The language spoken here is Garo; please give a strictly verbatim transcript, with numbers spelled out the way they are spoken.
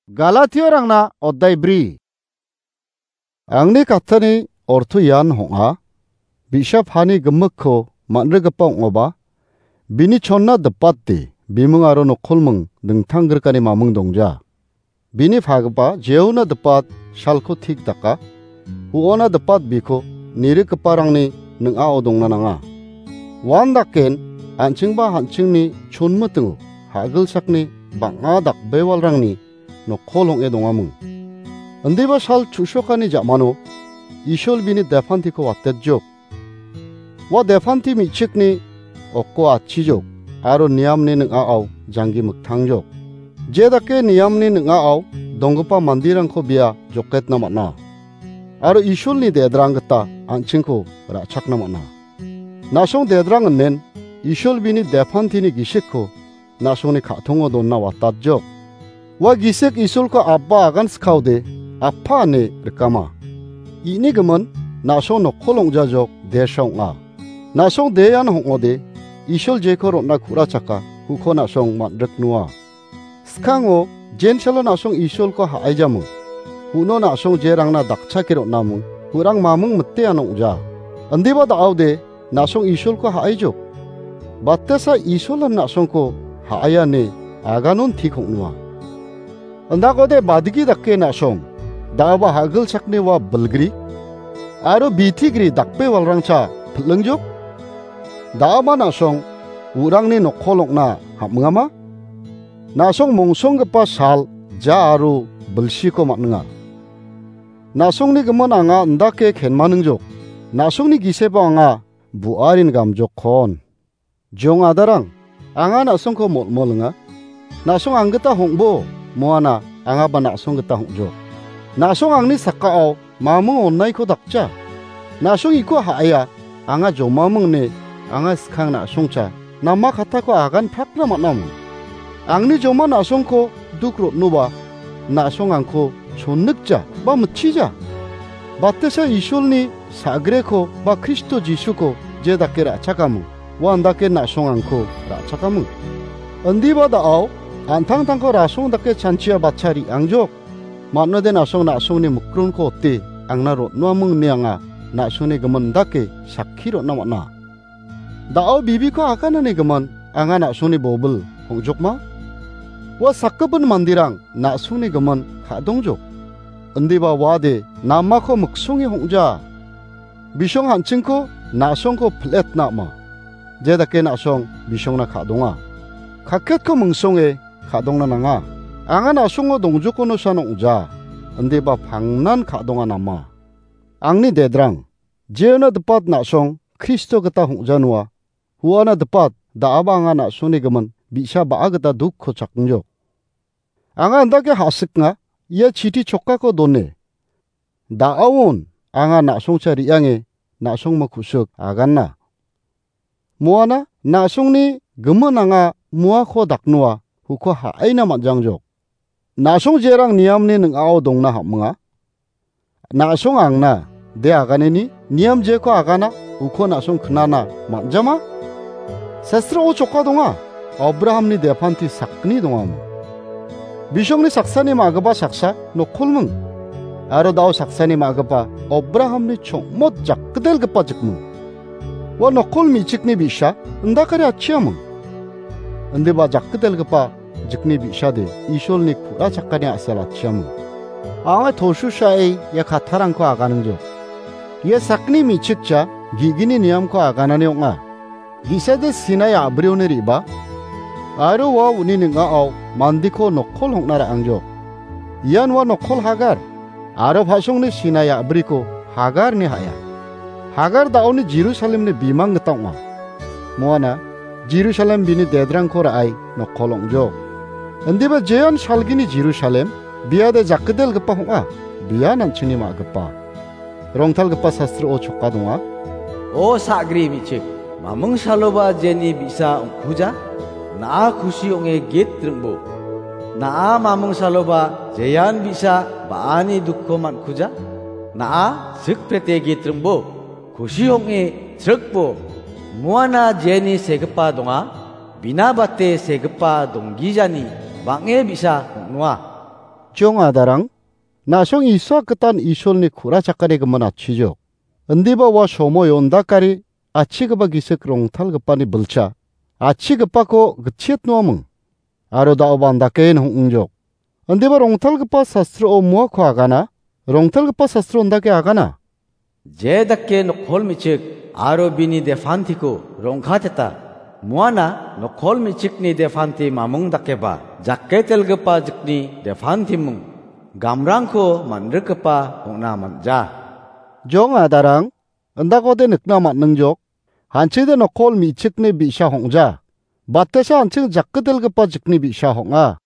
Galatiarangna oddai bri. Angni kattani orto ian hong·a, bi·sa pani gimikko man·rigipa ong·oba, bini chonna dipate biming aro nokkolming dingtang grikani maming dongja. Bini pagipa jeona dipat salko tik daka, huona dipat biko nirikgiparangni ning·ao dongna nanga. Uan daken an·chingba an·chingni chonmitingo ha·gilsakni bang·a dakbewalrangni nokkol ong·e dongaming. Indiba sal chu·sokani ja·mano Isol bini depantiko watetjok. Ua depanti me·chikni okko atchijok aro niamni ning·ao janggi miktangjok. Je dake niamni ning·ao donggipa manderangko bia joketna man·a. Aro Isolni dedrang gita an·chingko ra·chakna man·a. Na·song dedrang inen Isol bini depantini gisikko na·songni ka·tongo donna watatjok. Ua gisik Isolko abba agan skaode, appa ine rikama. Ini gimin, na·song nokkol ong·jajok, desa ong·a. Na·song de ian hong·ode, Isol jeko ron·na ku·rachaka, uko na·song man·riknoa. Skango, jensalo na·song Isolko ha·aijaming. Uno na·song jerangna dakchake ron·aming, urang maming mite ian ong·ja. Indiba da·ode, na·song Isolko ha·aijok. Batesa Isolan na·songko ha·aia ine aganon tik ong·noa. Indakode badigi dake na·song, da·aba ha·gilsakni ua bilgri, aro bitigri dakbewalrangcha pil·lingjok. Da·aba na·song, urangni nokkol ong·na ham·ingama? Na·song mongsonggipa sal, ja aro bilsiko man·inga. Na·songni gimin anga indake kenmaningjok. Na·songni gisebo anga bu·arin gamjokkon. Jong adarang, anga na·songko molmolinga. Na·song anggita hong·bo, moana angaba na·song gita hong·jok. Na·song angni sakao mamung onnaiko dakja. Na·song iko ha·aia, anga jomaming ine, anga skang na·songcha, nama katako agan prakna man·aming. Angni joma na·songko duk rotnoba, na·song angko chonnikja ba mitchija. Batesa Isolni sa·greko ba Kristo Jisuko je dake ra·chakaming, uan dake na·song angko ra·chakaming. Indiba da·ao, an·tangtangko rasong dake chanchia batcha re·angjok. Mano·de na·song na·songni mikronko ote angna rotnoaming ine anga na·songni gimin dake sakki rotna man·a. Da·o bibiko aganani gimin anga na·songni bobil hong·jokma? Ua sakgipin manderang na·songni gimin ka·dongjok. Indiba uade namako miksonge hong·ja. Bisong an·chingko na·songko pil·etna ama. Je dake na·song bisongna ka·donga. Kaketko mingsonge ka·dongna nanga. Anga na·songo dongjokonosan ong·ja. Indiba pangnan ka·donga nama. Angni dedrang, jeona dipat na·song Kristo gita hong·janoa, huana dipat da·aba anga na·songni gimin bi·sa ba·a gita dukko chakengjok. Anga indake ha·siknga, ia chiti chokkako done. Da·aon anga na·songcha re·ange na·songmo ku·sik aganna. Moana na·songni gimin anga muako daknoa uko ha·aina man·jangjok. Na·song jerang niamni ning·ao dongna ham·minga. Na·song angna de aganeni niam jeko agana uko na·song knana man·jama? Sastrao choka donga, Abrahamni depanti sakgni dongamo. Bisongni saksani ma·gipa saksa nokkolming. Aro da·o saksani ma·gipa Abrahamni chongmot jakgidelgipa jikming. Ua nokkol me·chikni bi·sa indakari atchiaming. Indiba jakgidelgipa jikni bi·sade Isolni ku·ra chakani a·sel atchiaming. Anga tosusae ia kattarangko aganingjok. Ia sakni me·chikcha ge·gni niamko aganani ong·a. Ge·sade Sinai a·brioni re·baa, aro ua uni ning·ao mandiko nokkol hong·na ra·angjok. Ian ua nokkol Hagar, aro pa·songni Sinai a·briko Hagar ine ha·a. Hagar da·oni Jerusalemni bimang gita ong·a. Moana Jerusalem bini dedrangko ra·e nokkol ong·jok. Indiba jean salgini Jerusalem biade jakgidelgipa ong·a, bian an·chingni ma·gipa. Rongtalgipa sastrao choka donga. O sagri me·chik, maming saloba jeni bi·sa ongkuja, na·a kusi ong·e git ringbo. Na·a maming saloba jean bi·sa ba·ani dukko man·kuja, na·a sikprete git ringbo, kusi ong·e srikbo. Muana jeni segipa donga, bina bate segipa donggijani bang·e bi·sa ong·noa. Jong adarang, na·song Isak gitan Isolni ku·rachakani gimin atchijok. Indiba ua somoio indakari achigipa gisik rongtalgipani bilcha, achigipako gitchiatnoaming. Aro da·oba indake hong·ingjok. Indiba rongtalgipa sastro-o muako agana, rongtalgipa sastro indake agana. Je dake nokol me·chik aro bini defantiko rongkateta. Muana nokol me·chikni defanti mamung dakeba, jakketelgipa jikni defantimung, gamrangko man·rikgipa ong·na man·ja. Jong adarang, indakode nikna man·ningjok. Hanchide nokol me·chikni bi·sa hong·ja. Batesa hanching jakketelgipa jikni bi·sa hong·a.